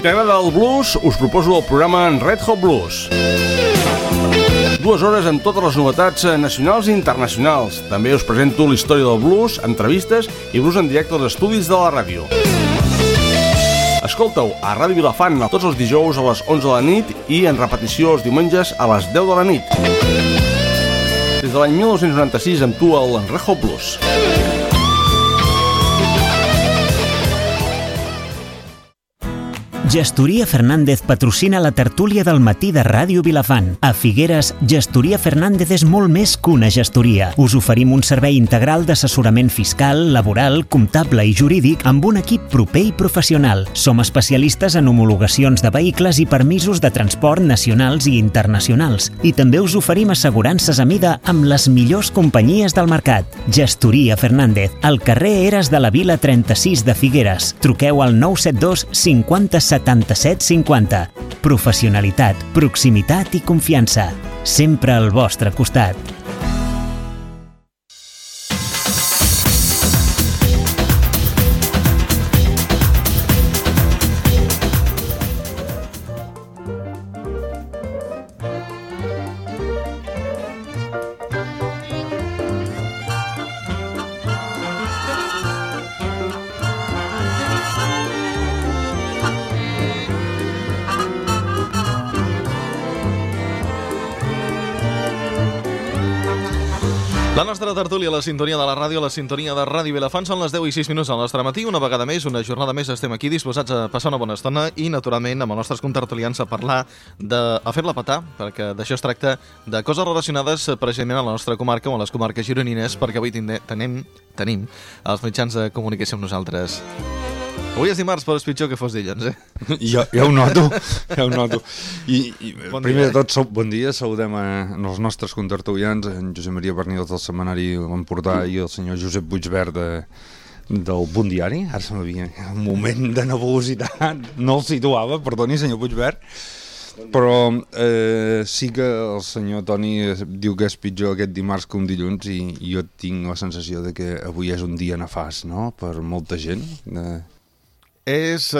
t'agrada el blues, us proposo el programa Red Hot Blues. 2 hores amb totes les novetats nacionals i internacionals. També us presento la història del blues, entrevistes i blues en directe als estudis de la ràdio. Escolta-ho a Ràdio Vilafant tots els dijous a les 11 de la nit i en repetició els diumenges a les 10 de la nit. Des de l'any 1996 amb tu el Red Hot Blues. Gestoria Fernández patrocina la tertúlia del matí de Ràdio Vilafant. A Figueres, Gestoria Fernández és molt més que una gestoria. Us oferim un servei integral d'assessorament fiscal, laboral, comptable i jurídic amb un equip proper i professional. Som especialistes en homologacions de vehicles i permisos de transport nacionals i internacionals. I també us oferim assegurances a mida amb les millors companyies del mercat. Gestoria Fernández, al carrer Eres de la Vila 36 de Figueres. Truqueu al 972 50 77 50. Professionalitat, proximitat i confiança. Sempre al vostre costat. La nostra tertúlia, la sintonia de la ràdio, la sintonia de Ràdio Vilafant, són les 10 i 6 minuts al nostre matí. Una vegada més, una jornada més, estem aquí disposats a passar una bona estona i, naturalment, amb els nostres contertulians a parlar, a fer-la petar, perquè d'això es tracta, de coses relacionades precisament a la nostra comarca o a les comarques gironines, perquè avui tenim els mitjans de comunicació amb nosaltres. Avui és dimarts, però és pitjor que fos dilluns, eh? Ja ho noto, ja ho noto. I bon primer de tot, bon dia, saludem els nostres contertulians, en Josep Maria Bernils del Setmanari L'Empordà i el senyor Josep Puigverd del Bon Diari. Ara se m'havia un moment de nebulositat, no el situava, perdoni, senyor Puigverd. Però sí que el senyor Toni diu que és pitjor aquest dimarts que un dilluns i jo tinc la sensació de que avui és un dia nefast, no?, per molta gent. És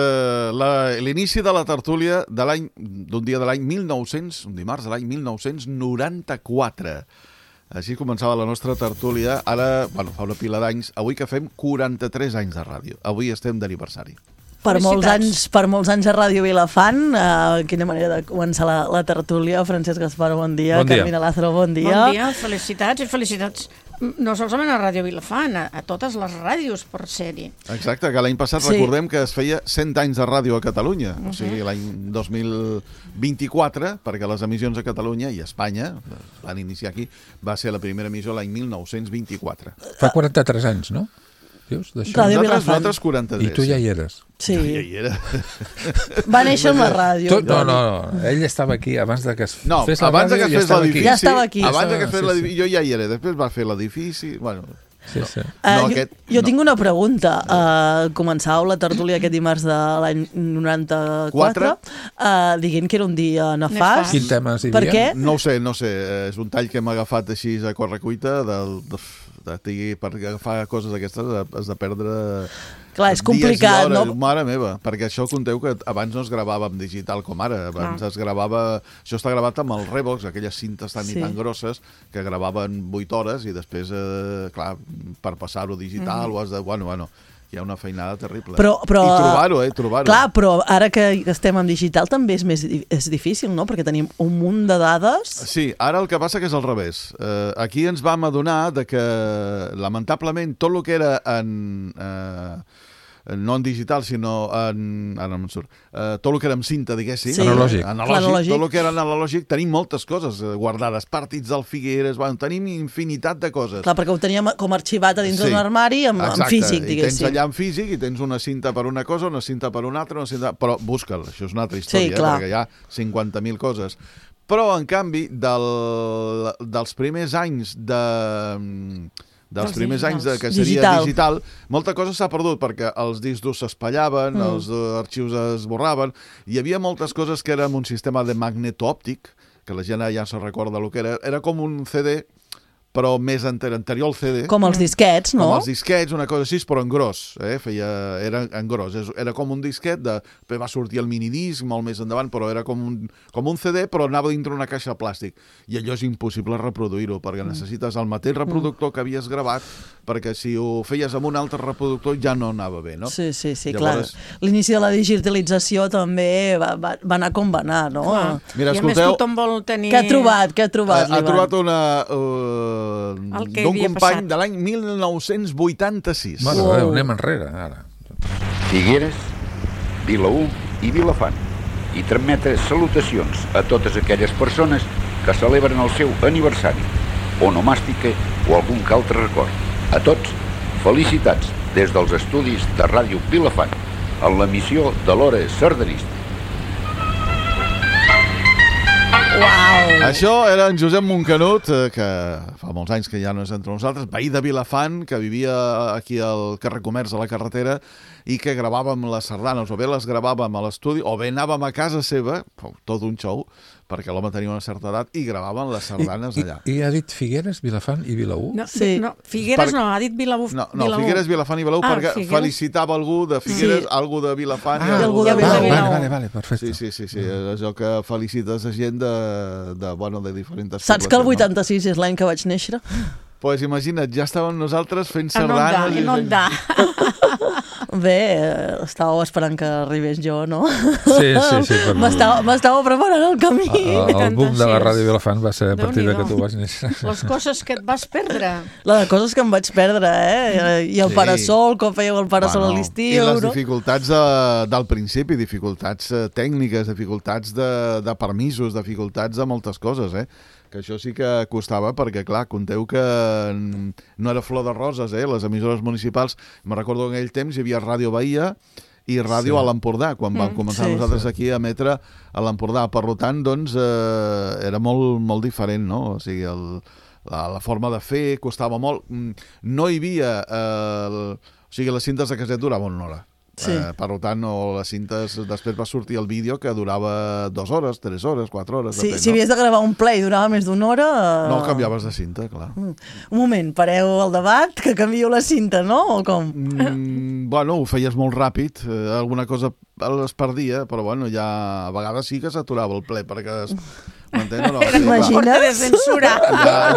l'inici de la tertúlia d'un dia de l'any 1900, un dimarts de l'any 1994. Així començava la nostra tertúlia. Ara, fa una pila d'anys. Avui que fem 43 anys de ràdio. Avui estem d'aniversari. Per molts anys a Ràdio Vilafant. Quina manera de començar la tertúlia. Francesc Gaspar, bon dia. Bon dia. Carmina Lázaro, bon dia. Bon dia, felicitats i felicitats. No solament a Ràdio Vilafant, a totes les ràdios per ser-hi. Exacte, que l'any passat recordem que es feia 100 anys de ràdio a Catalunya, o sigui, l'any 2024, perquè les emissions a Catalunya i a Espanya, van iniciar aquí, va ser la primera emissió l'any 1924. Fa 43 anys, no? Dius, Ràdio Vilafant. Nosaltres 43. I tu ja hi eres. Sí. Ja hi era. Va néixer amb la ràdio. No, ell estava aquí abans de que es fes la abans de ràdio. que fes l'edifici. Ja estava aquí. Abans de que fes l'edifici, jo ja hi era. Després va fer l'edifici. Bueno, Sí. Jo tinc una pregunta. Començàveu la tertúlia aquest dimarts de l'any 94 dient que era un dia nefast. Quin tema hi havia? Per què? no ho sé. És un tall que hem agafat així a correcuita per agafar coses d'aquestes has de perdre Clar, és complicat, no? Mare meva, perquè això conteu que abans no es gravava en digital com ara, abans es gravava, això està gravat amb el Revox, aquelles cintes tan i tan grosses que gravaven 8 hores i després, clar, per passar-ho digital ho has de... Bueno, hi ha una feinada terrible. Però, i trobar-ho. Clar, però ara que estem en digital també és difícil, no? Perquè tenim un munt de dades. Sí, ara el que passa que és al revés. Aquí ens vam adonar de que, lamentablement, tot el que era no en digital, sinó en... Ara no em surt. Tot el que era en cinta, diguéssim. Sí. Analògic. Tot el que era analògic. Tenim moltes coses guardades. Partits del Figueres, tenim infinitat de coses. Clar, perquè ho teníem com arxivat a dins d'un armari en físic, diguéssim. I tens allà en físic i tens una cinta per una cosa, una cinta per una altra, però busca'l, això és una altra història, perquè hi ha 50.000 coses. Però, en canvi, dels primers anys que seria digital, molta cosa s'ha perdut perquè els discs durs s'espallaven, els arxius es borraven, hi havia moltes coses que eren un sistema de magneto òptic, que la gent ja se recorda el que era com un CD però més anterior al CD. Com els disquets, no? Com els disquets, una cosa així, però en gros. Era en gros. Era com un disquet, va sortir el minidisc molt més endavant, però era com un CD, però anava dintre una caixa de plàstic. I allò és impossible reproduir-ho, perquè necessites el mateix reproductor que havies gravat, perquè si ho feies amb un altre reproductor ja no anava bé, no? Sí, llavors... clar. L'inici de la digitalització també va anar com va anar, no? Mira, I a més tothom vol tenir... Què ha trobat? Ha trobat d'un company de l'any 1986. Mare de Déu, anem enrere, ara. Figueres, Vilaür i Vilafant. I transmetre salutacions a totes aquelles persones que celebren el seu aniversari, onomàstica o algun altre record. A tots, felicitats des dels estudis de Ràdio Vilafant, en l'emissió de l'Hora Sardanista. Uau! Això era en Josep Moncanut, que fa molts anys que ja no és entre nosaltres, veí de Vilafant, que vivia aquí al carrer Comerç, a la carretera, i que gravàvem les sardanes, o bé les gravàvem a l'estudi, o bé anàvem a casa seva, tot un show, perquè l'home tenia una certa edat, i gravàvem les sardanes allà. I ha dit Figueres, Vilafant i Vilaür? No, Figueres no, ha dit Vilaür. No, Figueres, Vilafant i Vilaür, perquè felicitava algú de Figueres, algú de Vilafant i algú de Vilaür. Vale, perfecte. Sí, és allò que felicites a gent de diferents... Saps que el 86 és l'any que vaig néixer? Pues imagina't, ja estàvem nosaltres fent sardanes... Inondar. Bé, estàveu esperant que arribés jo, no? Sí. M'estava preparant el camí. El boom de la Ràdio Vilafant va ser a partir que tu vas néixer. Les coses que et vas perdre. Les coses que em vaig perdre, I el parasol, com fèieu el parasol a l'estiu. I les dificultats del principi, dificultats tècniques, dificultats de permisos, dificultats de moltes coses, que això sí que costava, perquè, clar, conteu que no era flor de roses, les emissores municipals. Me'n recordo que en aquell temps hi havia Ràdio Bahia i Ràdio a l'Empordà, quan vam començar nosaltres aquí a emetre a l'Empordà. Per tant, doncs, era molt, molt diferent, no? O sigui, la forma de fer costava molt. No hi havia... O sigui, les cintes de caset duraven una hora. Sí. Per tant, les cintes, després va sortir el vídeo que durava 2 hores, 3 hores, 4 hores. Sí, si havies de gravar un ple i durava més d'una hora... No, canviaves de cinta, clar. Un moment, pareu el debat, que canvio la cinta, no? O com? Bueno, ho feies molt ràpid, alguna cosa es perdia, però bueno, ja a vegades sí que s'aturava el ple, perquè... Era porta de censura.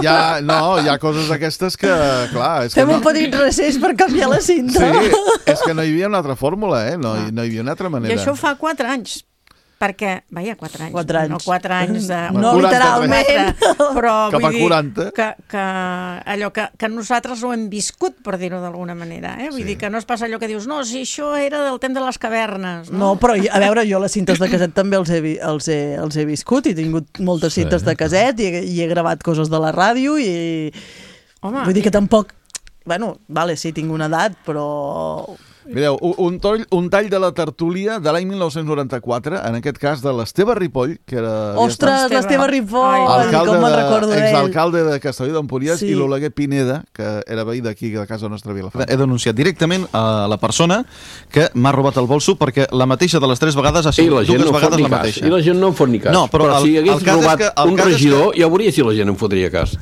Hi ha coses aquestes que, clar... Fem un petit recés per canviar la cinta. Sí, és que no hi havia una altra fórmula, no hi havia una altra manera. I això fa 4 anys. Perquè, 4 anys. 4 anys. No 4 anys de... No literalment. Però cap a 40. Que allò que nosaltres ho hem viscut, per dir-ho d'alguna manera. Vull dir que no es passa allò que dius, no, si això era del temps de les cavernes. No, però a veure, jo les cintes de caset també els he viscut, i he tingut moltes cintes de caset i he gravat coses de la ràdio i... Home, vull dir que tampoc... Bueno, vale, sí, tinc una edat, però... Mireu, un tall de la tertúlia de l'any 1994, en aquest cas de l'Esteve Ripoll, que era... Ostres, l'Esteve Ripoll, com me'n recordo d'ell. Exalcalde de Castelló d'Empúries, i l'Oleguer Pineda, que era veí d'aquí, de casa nostra Vilafant. He denunciat directament a la persona que m'ha robat el bolso, perquè la mateixa de les 3 vegades ha sigut 2 vegades la mateixa. I la gent no en fot ni cas. No, però si hagués robat un regidor, ja veuria si la gent en fotria cas.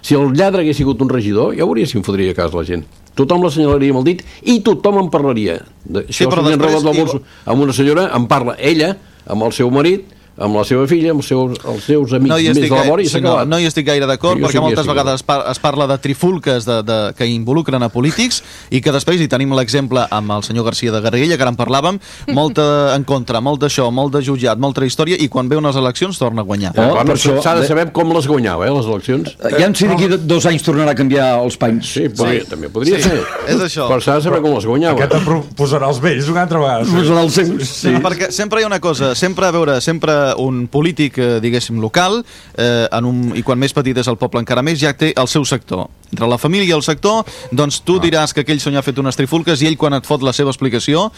Si el lladre hagués sigut un regidor, ja veuria si en fotria cas la gent. Tothom l'assenyalaria amb el dit i tothom en parlaria. Això, si li han robat la bolsa amb una senyora, en parla ella, amb el seu marit, amb la seva filla, amb els seus amics més de la vora, i s'ha acabat. No hi estic gaire d'acord, perquè moltes vegades es parla de trifulques que involucren a polítics, i que després hi tenim l'exemple amb el senyor Garcia de Garriguella, que ara en parlàvem, molta en contra, molt d'això, molt de jutjat, molta història, i quan ve unes eleccions torna a guanyar. Per això s'ha de saber com les guanyava, les eleccions. Ja en sé d'aquí 2 anys tornarà a canviar els panys. Sí, també podria ser. És això. Però s'ha de saber com les guanyava. Aquest posarà els vells una altra vegada. Posarà els seus. Perquè sempre hi ha una cosa, sempre un polític, diguéssim, local, i quan més petit és el poble encara més, ja té el seu sector. Entre la família i el sector, doncs tu diràs que aquell senyor ha fet unes trifulques, i ell, quan et fot la seva explicació,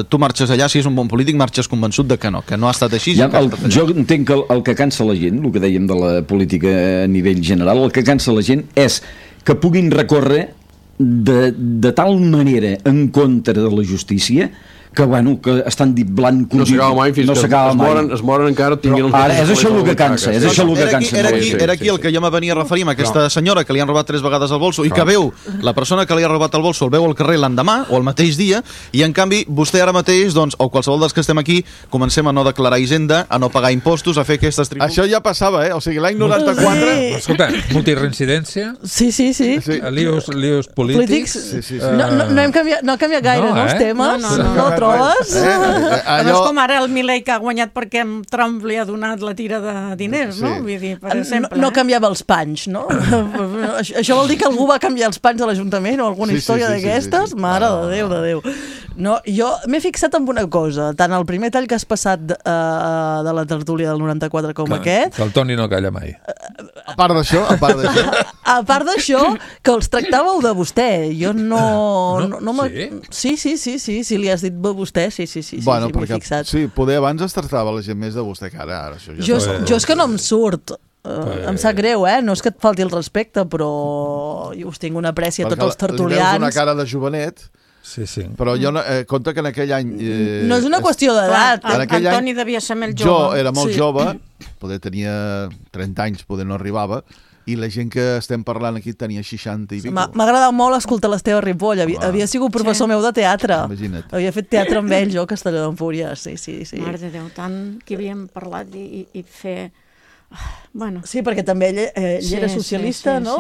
tu marxes allà, si és un bon polític, marxes convençut de que no ha estat així. Jo entenc que el que cansa la gent, el que dèiem de la política a nivell general, el que cansa la gent és que puguin recórrer de tal manera en contra de la justícia que estan dit blanc no s'acaba mai fins que es moren encara ara és això el que cansa, era aquí el que jo me venia a referir amb aquesta senyora que li han robat 3 vegades el bolso i que veu la persona que li ha robat el bolso el veu al carrer l'endemà o el mateix dia i en canvi vostè ara mateix doncs, o qualsevol dels que estem aquí comencem a no declarar hisenda, a no pagar impostos, a fer aquestes tributs. Això ja passava, o sigui, l'any 94... Escolta, multireincidència? Sí. Líos polítics? No ha canviat gaire, no, els temes? No trobes? No és com ara el Milei que ha guanyat perquè Trump li ha donat la tira de diners, no? Vull dir, per exemple. No canviava els panys, no? Això vol dir que algú va canviar els panys a l'Ajuntament o alguna història d'aquestes? Mare de Déu. No, jo m'he fixat en una cosa, tant el primer tall que has passat de la tertúlia del 94 com aquest... Que el Toni no calla mai. A part d'això... A part d'això, que els tractàveu de vostè. Jo Sí, li has dit vostè, sí, m'he fixat. Sí, poder abans es tractava la gent més de vostè que ara. Jo és que no em surt. Em sap greu, no és que et falti el respecte, però jo us tinc una apreci a tots els tertulians. Li veus una cara de jovenet... Sí. Però jo compte que en aquell any... no és una qüestió d'edat. Antoni devia ser molt jove. Jo era molt jove, poder tenia 30 anys, poder no arribava, i la gent que estem parlant aquí tenia 60 i pico. M'ha agradat molt escoltar l'Esteve Ripoll. Havia sigut professor meu de teatre. Imagina't. Havia fet teatre amb ell, jo, a Castelló d'Empúries. Sí. Mare de Déu, tant que havíem parlat i fer... Bueno. Sí, perquè també ell era socialista, no?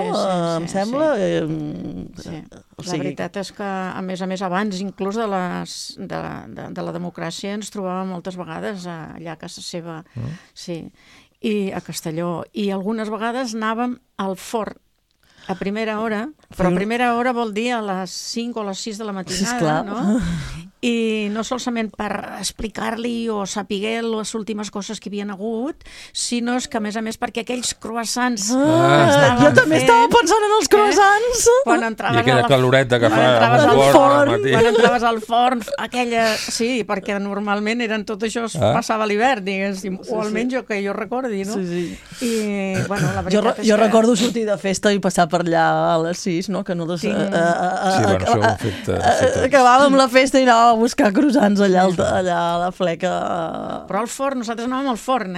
Em sembla. La veritat és que, a més, abans inclús de la democràcia ens trobàvem moltes vegades allà a casa seva, i a Castelló, i algunes vegades anàvem al forn a primera hora, però a primera hora vol dir a les 5 o a les 6 de la matinada, no? I no solament per explicar-li o saber les últimes coses que hi havia hagut, sinó que, a més, perquè aquells croissants... Jo també estava pensant en els croissants! I aquella caloreta que fa quan entraves al forn, aquella... Sí, perquè normalment tot això es passava a l'hivern, diguéssim, o almenys que jo recordi, no? I, bueno, la veritat és que... Jo recordo sortir de festa i passar per allà a les 6, no? Que nosaltres... Acabàvem la festa i anàvem a buscar croissants allà a la fleca. Però al forn, nosaltres anàvem al forn,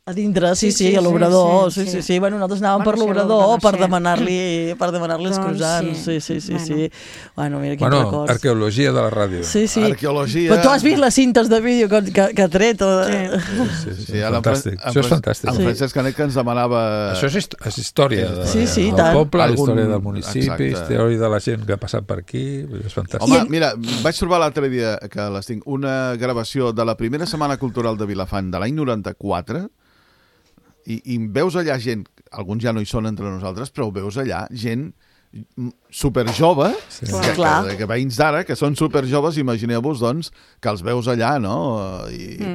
A dintre, sí, a l'obrador. Sí. Bueno, nosaltres anàvem per l'obrador per demanar-li els croissants. Sí. Bueno, mira quins records. Arqueologia de la ràdio. Sí. Arqueologia... Però tu has vist les cintes de vídeo que ha tret? Sí, fantàstic. Això és fantàstic. En Francesc Canet que ens demanava... Això és història del poble, història del municipi, història de la gent que ha passat per aquí, és fantàstic. Home, mira, vaig trobar l'altre dia que les tinc, una gravació de la primera Setmana Cultural de Vilafant de l'any 94, i veus allà gent, alguns ja no hi són entre nosaltres, però veus allà gent superjove, que veïns d'ara, que són superjoves, imagineu-vos, doncs, que els veus allà, no?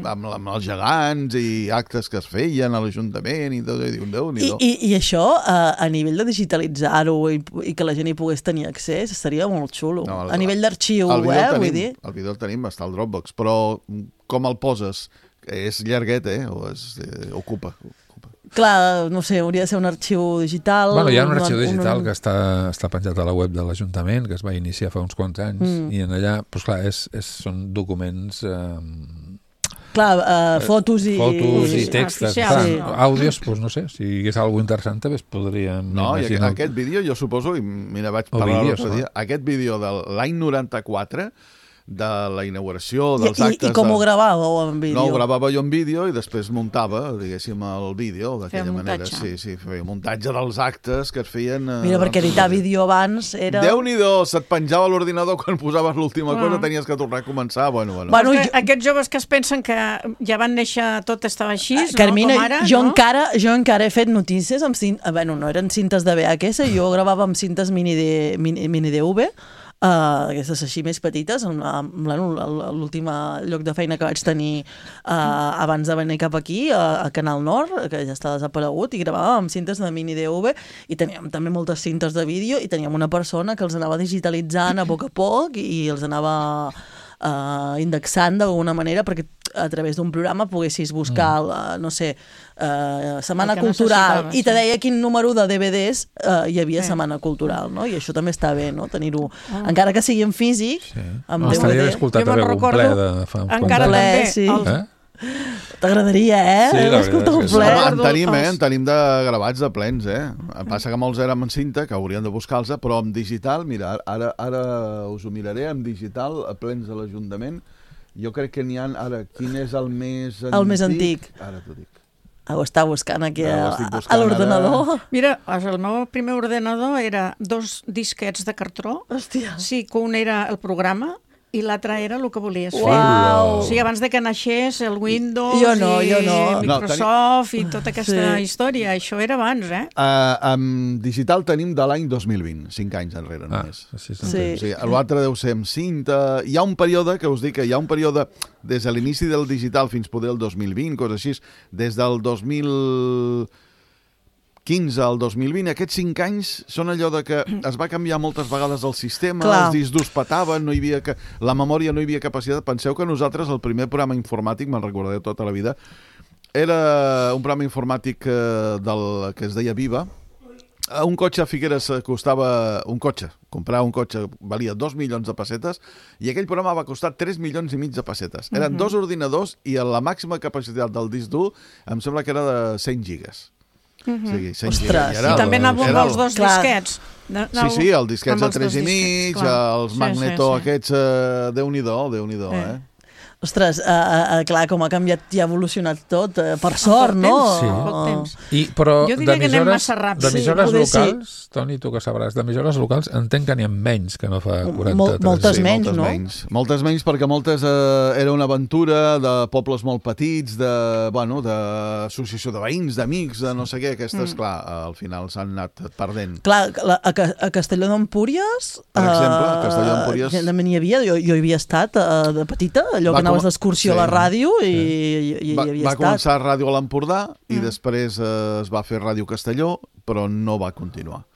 Amb els gegants i actes que es feien a l'Ajuntament i tot, i diu, Déu-n'hi-do. I això, a nivell de digitalitzar-ho i que la gent hi pogués tenir accés, estaria molt xulo. A nivell d'arxiu, vull dir. El vídeo el tenim, està al Dropbox, però com el poses? És llarguet, o ocupa. Clar, no sé, hauria de ser un arxiu digital. Bueno, hi ha un arxiu digital que està penjat a la web de l'Ajuntament, que es va iniciar fa uns quants anys, i en allà, doncs clar, són documents... fotos i textos, àudios, doncs no sé, si hi hagués alguna interessant també es podríem imaginar. Aquest vídeo, jo suposo, i mira, vaig parlar l'altre dia, aquest vídeo de l'any 94, de la inauguració dels actes... I com ho gravàveu en vídeo? No, ho gravava jo en vídeo i després muntava, diguéssim, el vídeo d'aquella manera. Sí, feia muntatge dels actes que es feien... Mira, perquè editar vídeo abans era... Déu-n'hi-do, se't penjava l'ordinador quan posaves l'última cosa, tenies que tornar a començar, bueno. Aquests joves que es pensen que ja van néixer tot estava així, Carmina, com ara, jo encara he fet notícies amb no eren cintes de VHS, jo gravava amb cintes mini DV, aquestes així més petites, l'últim lloc de feina que vaig tenir abans de venir cap aquí, a Canal Nord, que ja està desaparegut, i gravàvem amb cintes de mini DV, i teníem també moltes cintes de vídeo, i teníem una persona que els anava digitalitzant a poc i els anava indexant d'alguna manera, perquè a través d'un programa poguessis buscar, no sé, Setmana Cultural, i te deia quin número de DVDs hi havia Setmana Cultural, no? I això també està bé, no? Tenir-ho, encara que sigui en físic, amb DVD. Estaria bé escoltar també algun ple de fa uns quants anys. Sí. T'agradaria, escoltar un ple. En tenim de gravats de plens, Passa que molts érem en cinta, que haurien de buscar-los, però en digital, mira, ara us ho miraré, en digital, a plens de l'Ajuntament, jo crec que n'hi ha, ara, quin és el més antic? El més antic. Ara t'ho dic. Ho està buscant aquí a l'ordenador. Mira, el meu primer ordenador era 2 disquets de cartró. Hòstia. Sí, que un era el programa i l'altre era el que volies fer. Uau. O sigui, abans de que naixés el Windows jo no. i Microsoft i tota aquesta història. Això era abans, En digital tenim de l'any 2020, 5 anys enrere només. Sí. L'altre deu ser amb cinta. Hi ha un període, que us dic que hi ha un període des de l'inici del digital fins poder el 2020, coses així, des del 2015 al 2020, aquests 5 anys són allò de que es va canviar moltes vegades el sistema, els discs durs petaven, la memòria no hi havia capacitat. Penseu que nosaltres, el primer programa informàtic, me'n recordaré tota la vida, era un programa informàtic que es deia Viva. Un cotxe a Figueres costava... comprar un cotxe valia 2 milions de pessetes i aquell programa va costar 3 milions i mig de pessetes. Eren 2 ordinadors i la màxima capacitat del disc dur em sembla que era de 100 gigas. Ostres, i també anàvem amb els 2 disquets. Sí, el disquets de 3,5, els Magneto aquests, Déu-n'hi-do, Ostres, clar, com ha canviat i ha evolucionat tot, per sort, no? Poc temps. Però jo diria que anem massa ràpid. D'emissores locals, Toni, tu que sabràs, d'emissores locals entenc que n'hi ha menys que no fa 43. Moltes menys, no? Moltes menys, perquè moltes era una aventura de pobles molt petits, d'associació de veïns, d'amics, de no sé què. Aquestes, clar, al final s'han anat perdent. Clar, a Castelló d'Empúries... Per exemple, a Castelló d'Empúries... També n'hi havia, jo hi havia estat de petita, allò que anaves d'excursió a la ràdio i hi havia estat. Va començar Ràdio a l'Empordà i després es va fer Ràdio Castelló, però no va continuar.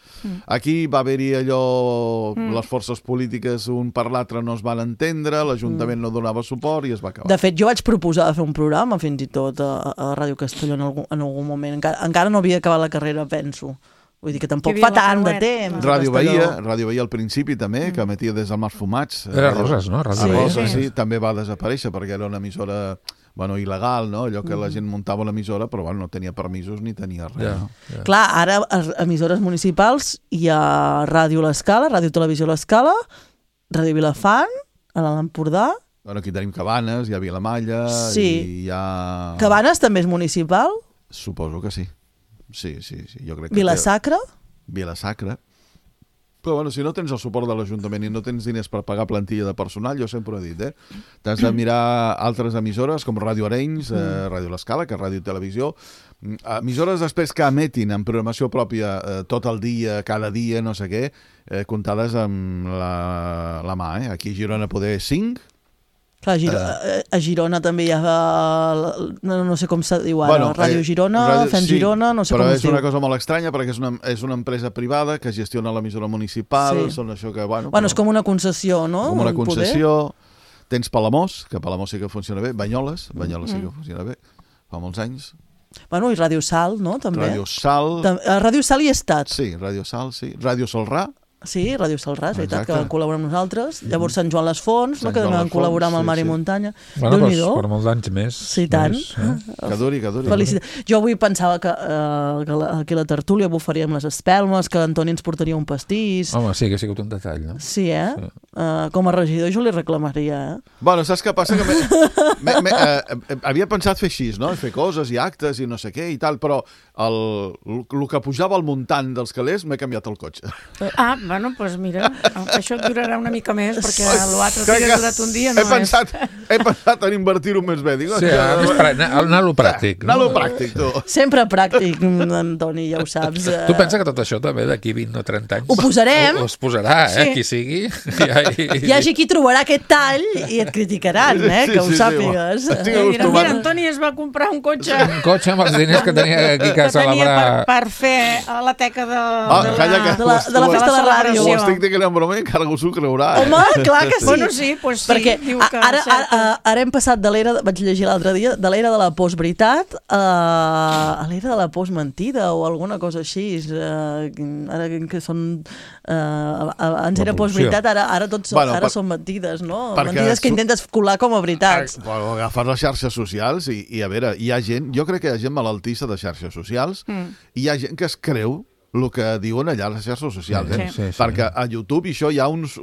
Aquí va haver-hi allò, les forces polítiques un per l'altre no es van entendre, l'Ajuntament no donava suport i es va acabar. De fet, jo vaig proposar de fer un programa, fins i tot, a Ràdio Castelló en algun moment. Encara no havia acabat la carrera, penso. Vull dir que tampoc fa tant de temps. Ràdio Bahia al principi també, que emetia des del Mas Fumats. Era Roses, no? Roses, sí, també va desaparèixer perquè era una emissora il·legal, no? Allò que la gent muntava l'emissora, però no tenia permisos ni tenia res. Clar, ara a emissores municipals hi ha Ràdio L'Escala, Ràdio Televisió L'Escala, Ràdio Vilafant, a l'Empordà. Aquí tenim Cabanes, hi ha Vilamalla, i hi ha... Cabanes també és municipal? Suposo que sí. Sí, jo crec que... Vilasacra? Vilasacra. Però si no tens el suport de l'Ajuntament i no tens diners per pagar plantilla de personal, jo sempre he dit, t'has de mirar altres emissores com Ràdio Arenys, Ràdio L'Escala, que és Ràdio i Televisió, emissores després que emetin en programació pròpia tot el dia, cada dia, no sé què, comptades amb la mà. Aquí a Girona poder 5. Clar, a Girona també hi ha, no sé com se diu ara, Ràdio Girona, Fem Girona, no sé com es diu. Però és una cosa molt estranya perquè és una empresa privada que gestiona l'emissora municipal, són això que... Bueno, és com una concessió, no? Com una concessió. Tens Palamós, que Palamós sí que funciona bé, Banyoles sí que funciona bé, fa molts anys. Bueno, i Ràdio Sal, no? També. Ràdio Sal. A Ràdio Sal hi he estat. Sí, Ràdio Sal, sí. Ràdio Salrà. Sí, Ràdio Salrà, és veritat, que van col·laborar amb nosaltres. Llavors Sant Joan les Fonts, que també van col·laborar amb el Mar i Muntanya. Déu-n'hi-do. Per molts anys més. Sí, tant. Que duri. Felicitats. Jo avui pensava que aquí a la tertúlia bufaríem les espelmes, que Antoni ens portaria un pastís. Home, sí, que ha sigut un detall, no? Sí, com a regidor jo li reclamaria, Bueno, saps què passa? Que havia pensat fer així, no? Fer coses i actes i no sé què i tal, però el que pujava al muntant dels calés m'he canviat el cotxe. Bueno, doncs mira, això et durarà una mica més, perquè l'altre que ha durat un dia no és... He pensat en invertir-ho més bé. Sí, anar-lo pràctic. Anar-lo pràctic, tu. Sempre pràctic, Antoni, ja ho saps. Tu pensa que tot això també d'aquí 20 o 30 anys... Ho posarem. Es posarà, qui sigui. Hi hagi qui trobarà aquest tall i et criticaran, que ho sàpigues. Mira, Antoni es va comprar un cotxe. Un cotxe amb els diners que tenia aquí a celebrar... Per fer la teca de la festa de la ràdio. Ho estic dient en broma i encara algú s'ho creurà. Home, clar que sí. Bueno, sí, doncs sí. Perquè diu que ara Ara hem passat de l'era, vaig llegir l'altre dia, de l'era de la postveritat a l'era de la postmentida o alguna cosa així. Ara que són... Abans era postveritat, ara tots són mentides, no? Mentides que intentes colar com a veritats. Agafar les xarxes socials i a veure, hi ha gent, jo crec que hi ha gent malaltissa de xarxes socials i hi ha gent que es creu el que diuen allà a les xarxes socials, perquè a YouTube això hi ha uns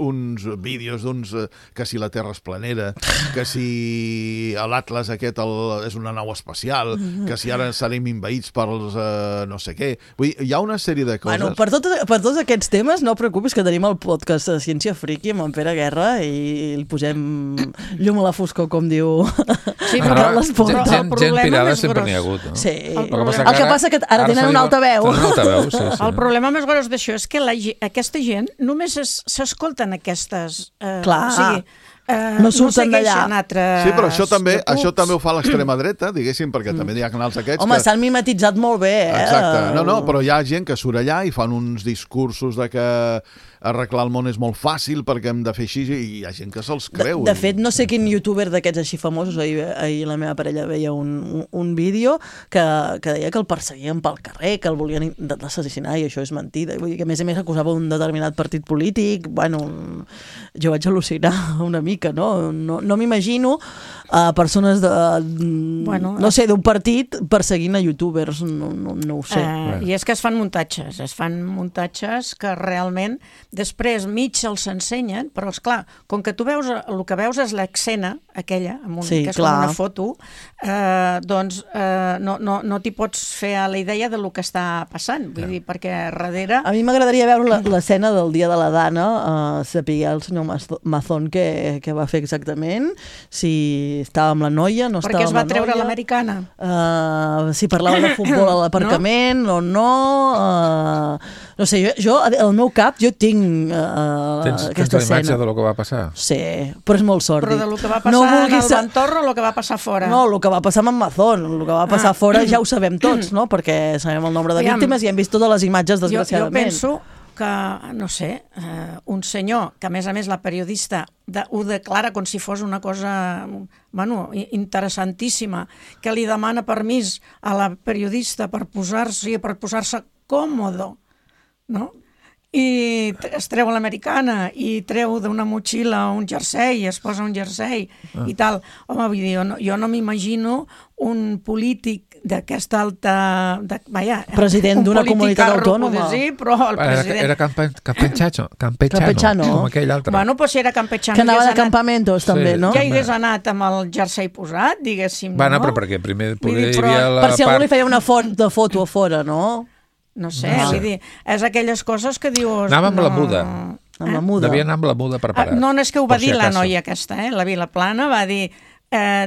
vídeos d'uns que si la Terra és planera, que si l'Atlas aquest és una nau espacial, que si ara serem invaïts pels no sé què. Vull dir, hi ha una sèrie de coses... Per tots aquests temes no preocupis que tenim el podcast de Ciència Friki amb en Pere Guerra i el posem llum a la foscor, com diu... Sí, però gent pirada sempre n'hi ha hagut, no? Sí. El que passa que ara tenen una alta veu. El problema més gros d'això és que aquesta gent només s'escolten aquestes... Clar, no surten d'allà. Sí, però això també ho fa l'extrema dreta, diguéssim, perquè també hi ha canals aquests... Home, s'han mimetitzat molt bé, Exacte. No, però hi ha gent que surt allà i fan uns discursos de que arreglar el món és molt fàcil perquè hem de fer així i hi ha gent que se'ls creu. De fet, no sé quin youtuber d'aquests així famosos, ahir la meva parella veia un vídeo que deia que el perseguien pel carrer, que el volien assassinar i això és mentida. Vull dir que a més acusava un determinat partit polític. Bueno, jo vaig al·lucinar una mica, no? No m'imagino persones no sé, d'un partit perseguint a youtubers, no ho sé. I és que es fan muntatges que realment després mig els ensenyen, però esclar, com que tu veus, el que veus és l'escena aquella, que és com una foto, doncs no t'hi pots fer a la idea de lo que està passant, vull dir, perquè darrere... A mi m'agradaria veure l'escena del dia de la Dana, saber el senyor Mazón què va fer exactament, si estava amb la noia, no estava amb la noia... Perquè es va treure l'americana. Si parlava de futbol a l'aparcament o no... No sé, jo, al meu cap, jo tinc aquesta escena. Tens la imatge de lo que va passar? Sí, però és molt sòrdid. Però de lo que va passar en el entorn o lo que va passar fora? No, el que va passar amb en Mazón, el que va passar fora ja ho sabem tots, no? Perquè sabem el nombre de víctimes i hem vist totes les imatges, desgraciadament. Jo penso que, no sé, un senyor, que a més la periodista ho declara com si fos una cosa interessantíssima, que li demana permís a la periodista per posar-se còmodo, no? I es treu l'americana i treu d'una motxilla un jersei, es posa un jersei i tal. Home, vull dir, jo no m'imagino un polític d'aquesta alta... president d'una comunitat autònoma. Però el president... Era campechano, com aquell altre. Bueno, doncs era campechano. Que anava de campamentos, també, no? Que hagués anat amb el jersei posat, diguéssim, no? Bueno, però perquè primer poder hi havia la part... Per si algú li feia una foto a fora, no? No sé, vull dir, és aquelles coses que dius... Anava amb la muda. Amb la muda. Devia anar amb la muda preparat. No, és que ho va dir la noia aquesta, la Vilaplana, va dir,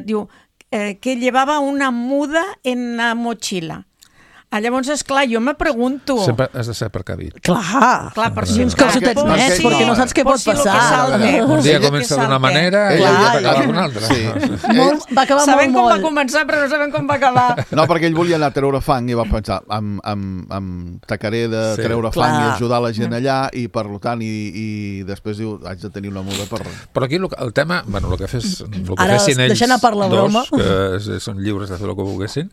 diu, que llevava una muda en la mochila. Llavors, esclar, jo me pregunto... Sempre has de ser precavit. Clar, per si uns calçotets nets, perquè no saps què pot passar. Un dia comença d'una manera i ja acaba d'una altra. Va acabar molt. Sabem com va començar, però no sabem com va acabar. No, perquè ell volia anar a treure fang i va pensar, tacaré de treure fang i ajudar la gent allà, i per tant, i després diu, haig de tenir una muda per... Però aquí el tema, bueno, el que fessin ells dos, que són lliures de fer el que volguessin,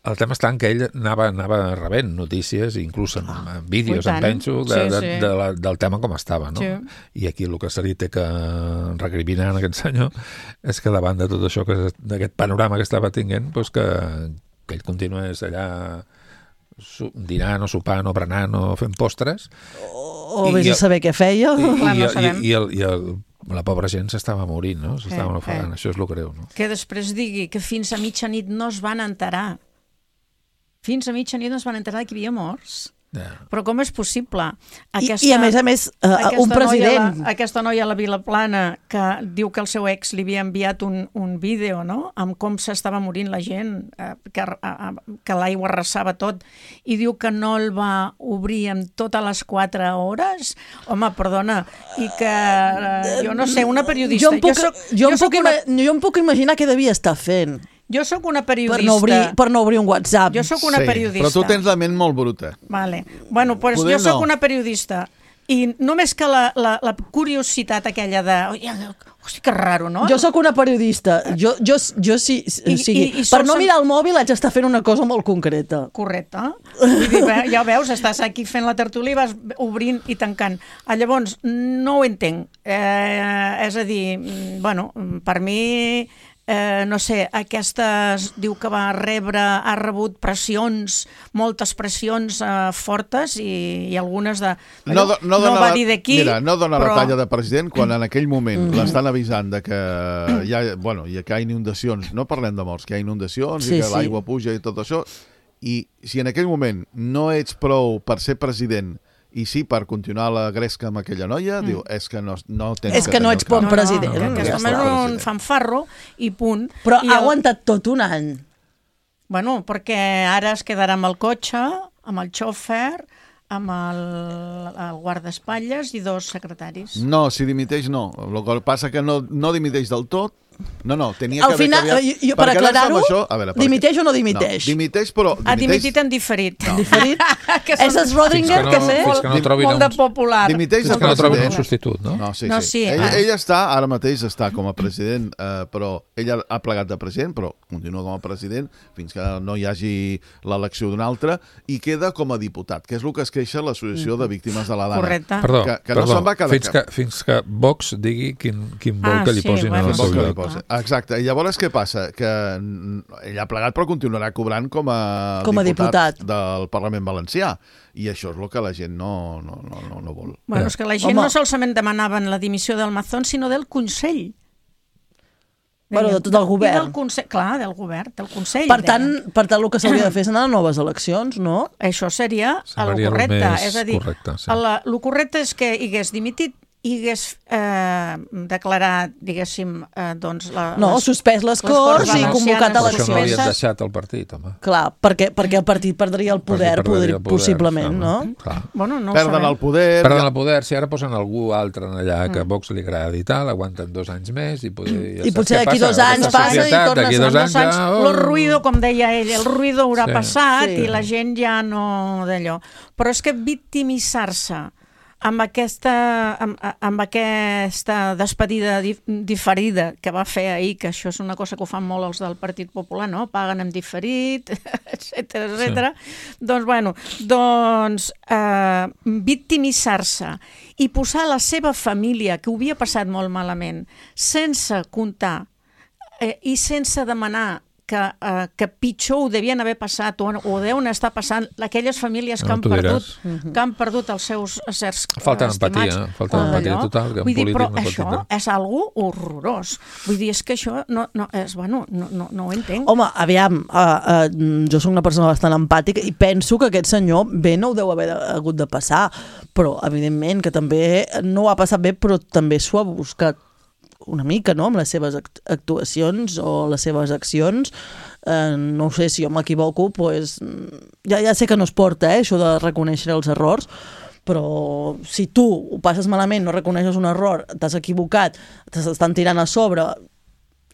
el tema està en que ell anava rebent notícies, inclús en vídeos, em penso, del tema com estava, no? I aquí el que se li té que recriminar en aquest senyor és que davant de tot això, d'aquest panorama que estava tinguent, que ell continués allà dinant o sopant o berenant o fent postres. O vés a saber què feia. I la pobra gent s'estava morint, no? S'estava ofegant, això és el greu, no? Que després digui que fins a mitjanit no es van enterar. Fins a mitjanit no es van enterar que hi havia morts. Però com és possible? I a més, un president... Aquesta noia a la Vilaplana que diu que el seu ex li havia enviat un vídeo, no?, amb com s'estava morint la gent, que l'aigua arrasava tot, i diu que no el va obrir en totes les 4 hores. Home, perdona, i que jo no sé, una periodista... Jo em puc imaginar què devia estar fent. Jo sóc una periodista... Per no obrir un WhatsApp. Jo sóc una periodista. Però tu tens la ment molt bruta. Vale. Bueno, pues jo sóc una periodista I només que la curiositat aquella de... Hosti, que raro, no? Jo sóc una periodista. Jo sí, per no mirar el mòbil haig d'estar fent una cosa molt concreta. Correcte. Vull dir, ja veus, estàs aquí fent la tertúlia i vas obrint i tancant. Llavors, no ho entenc. És a dir, bueno, per mi... no sé, aquestes, diu que ha rebut pressions, moltes pressions fortes i algunes de... No va dir de qui, mira, no dona la talla de president quan en aquell moment l'estan avisant de que hi ha inundacions, no parlem de morts, que hi ha inundacions i que l'aigua puja i tot això, i si en aquell moment no ets prou per ser president i sí, per continuar la gresca amb aquella noia, diu, és que no tens... És que no ets bon president. Aquest home és un fanfarro i punt. Però ha aguantat tot un any. Bueno, perquè ara es quedarà amb el cotxe, amb el xòfer, amb el guardaespatlles i 2 secretaris. No, si dimiteix no. El que passa que no dimiteix del tot. No, tenia que haver canviat... Per aclarar-ho, dimiteix o no dimiteix? No, dimiteix, però... Ha dimitit en diferit. No. Diferit? És el Schrödinger, també? Molt de popular. Dimiteix fins que no trobin un substitut, no? No, sí. Ella està, ara mateix està com a president, però ella ha plegat de president, però continua com a president fins que no hi hagi l'elecció d'un altre i queda com a diputat, que és el que es queixa l'Associació de Víctimes de la Dana. Correcte. Perdó, no se'n va quedar fins que Vox digui quin vol que li posin en el seu lloc. Exacte, i llavors què passa? Que ell ha plegat però continuarà cobrant com a diputat del Parlament Valencià i això és el que la gent no vol. Bueno, és que la gent no solament demanaven la dimissió del Mazón, sinó del Consell. Bueno, de tot el govern. Clar, del govern, del Consell. Per tant, el que s'hauria de fer és anar a noves eleccions, no? Això seria el correcte. És a dir, el correcte és que hagués dimitit i hagués declarat, diguéssim, doncs... suspès les Corts i convocat eleccions. Això no havia deixat el partit, home. Clar, perquè el partit perdria el poder, possiblement, no? Perden el poder... Perden el poder, si ara posen algú altre allà que a Vox li agradi i tal, aguanten 2 anys més i potser d'aquí 2 anys passa i torna a 2 anys. El ruïdo, com deia ell, el ruïdo haurà passat i la gent ja no d'allò. Però és que victimitzar-se amb aquesta despedida diferida que va fer ahir, que això és una cosa que ho fan molt els del Partit Popular, no? Paguen en diferit, etcètera. Doncs, victimitzar-se i posar la seva família, que ho havia passat molt malament, sense comptar i sense demanar que pitjor ho devien haver passat o deuen estar passant aquelles famílies que han perdut els seus éssers estimats. Falta empatia total. Vull dir, però això és algo horrorós. Vull dir, és que això no ho entenc. Home, aviam, jo soc una persona bastant empàtica i penso que aquest senyor bé no ho deu haver hagut de passar, però evidentment que també no ho ha passat bé, però també s'ho ha buscat una mica, no?, amb les seves actuacions o les seves accions. No sé si jo m'equivoco, doncs ja sé que no es porta, això de reconèixer els errors, però si tu ho passes malament, no reconeixes un error, t'has equivocat, t'estan tirant a sobre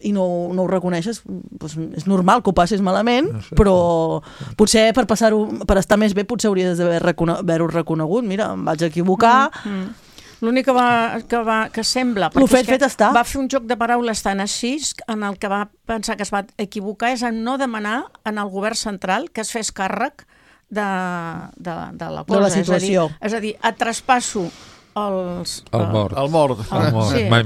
i no ho reconeixes, doncs és normal que ho passis malament, però potser per estar més bé potser hauries d'haver-ho reconegut. Mira, em vaig equivocar... L'únic que sembla... El fet està. Va fer un joc de paraules tan així en el que va pensar que es va equivocar és en no demanar en el govern central que es fes càrrec de la cosa. De la situació. És a dir, et traspasso el mort. El mort. Mai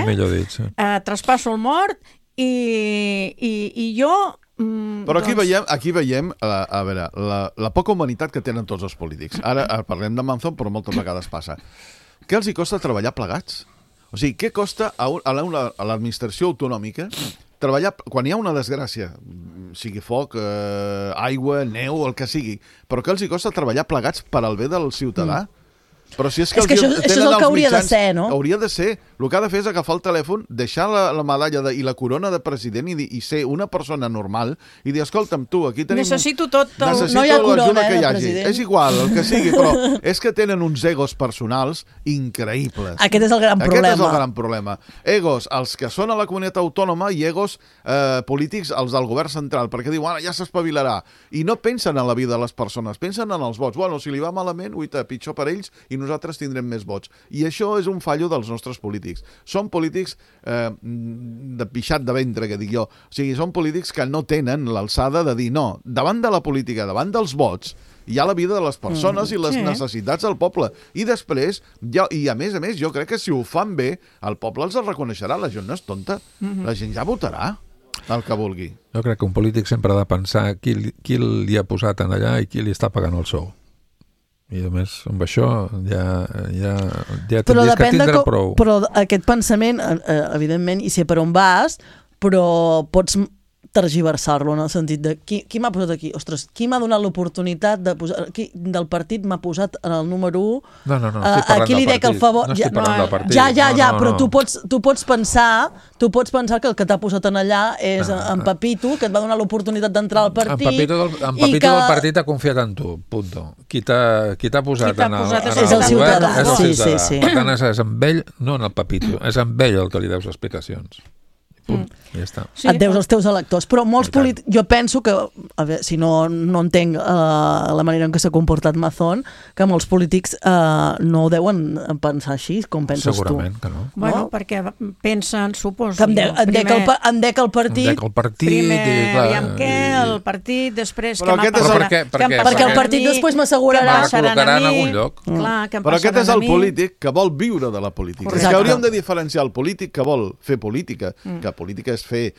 millor dit. Traspasso el mort i jo... Però aquí veiem a veure, la poca humanitat que tenen tots els polítics. Ara parlem de Manzón, però moltes vegades passa. Què els hi costa treballar plegats? O sigui, què costa a l'administració autonòmica treballar quan hi ha una desgràcia, sigui foc, aigua, neu, el que sigui, però què els hi costa treballar plegats per al bé del ciutadà? Però si és que això és el que hauria de ser, no? Hauria de ser. El que ha de fer és agafar el telèfon, deixar la medalla i la corona de president i ser una persona normal i dir, escolta'm, tu, aquí tenim... Necessito tot... No hi ha corona, president. És igual, el que sigui, però és que tenen uns egos personals increïbles. Aquest és el gran problema. Aquest és el gran problema. Egos, els que són a la comunitat autònoma i egos polítics, els del govern central, perquè diuen, ja s'espavilarà. I no pensen en la vida de les persones, pensen en els vots. Bueno, si li va malament, pitjor per ells i i nosaltres tindrem més vots. I això és un fallo dels nostres polítics. Són polítics de pixat de ventre, que dic jo. O sigui, són polítics que no tenen l'alçada de dir no, davant de la política, davant dels vots, hi ha la vida de les persones i les necessitats del poble. I després, i a més, jo crec que si ho fan bé, el poble els reconeixerà. La gent no és tonta. La gent ja votarà el que vulgui. Jo crec que un polític sempre ha de pensar qui li ha posat en allà i qui li està pagant el sou. I a més, amb això ja tindries que tindre prou. Però aquest pensament, evidentment, i sé per on vas, però pots tergiversar-lo en el sentit de qui m'ha posat aquí? Ostres, qui m'ha donat l'oportunitat de posar... Del partit m'ha posat en el número 1? No, estic parlant del partit. No estic parlant del partit. Ja, però tu pots pensar que el que t'ha posat en allà és en Pepito, que et va donar l'oportunitat d'entrar al partit. En Pepito del partit ha confiat en tu, punto. Qui t'ha posat en el govern és el ciutadà. Per tant, és amb ell, no en el Pepito, és amb ell el que li deus explicacions. Ja està. Et deus als teus electors, però molts polítics, jo penso que, a veure, si no entenc la manera en què s'ha comportat Mazón, que molts polítics no ho deuen pensar així, com penses tu. Segurament que no. Bueno, perquè pensen, suposo... Que en dec el partit... Primer, aviam què, el partit, després... Perquè el partit després m'assegurarà... Que col·locarà en algun lloc. Però aquest és el polític que vol viure de la política. És que hauríem de diferenciar el polític que vol fer política, que política és fer,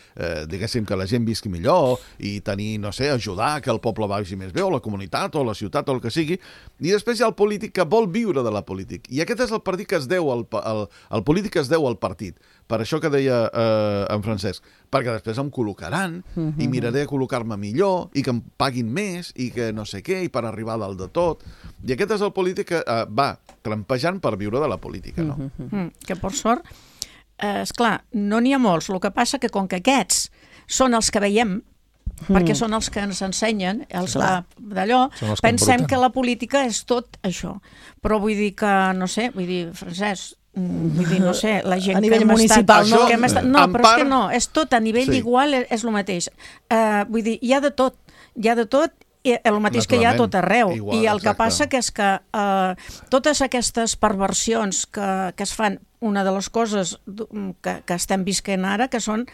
diguéssim, que la gent visqui millor i tenir, no sé, ajudar que el poble vagi més bé, o la comunitat, o la ciutat, o el que sigui, i després hi ha el polític que vol viure de la política. I aquest és el partit que es deu el polític que es deu al partit. Per això que deia en Francesc, perquè després em col·locaran i miraré a col·locar-me millor i que em paguin més i que no sé què, i per arribar a dalt de tot. I aquest és el polític que va trampejant per viure de la política, no? Que per sort, esclar, no n'hi ha molts. El que passa que com que aquests són els que veiem, perquè són els que ens ensenyen, els d'allò, pensem que la política és tot això. Però vull dir que, no sé, Francesc, no sé, la gent a nivell municipal, no, però és que no, és tot a nivell igual, és el mateix. Vull dir, hi ha de tot, el mateix que hi ha a tot arreu. I el que passa que és que totes aquestes perversions que es fan, una de les coses que estem visquent ara, que són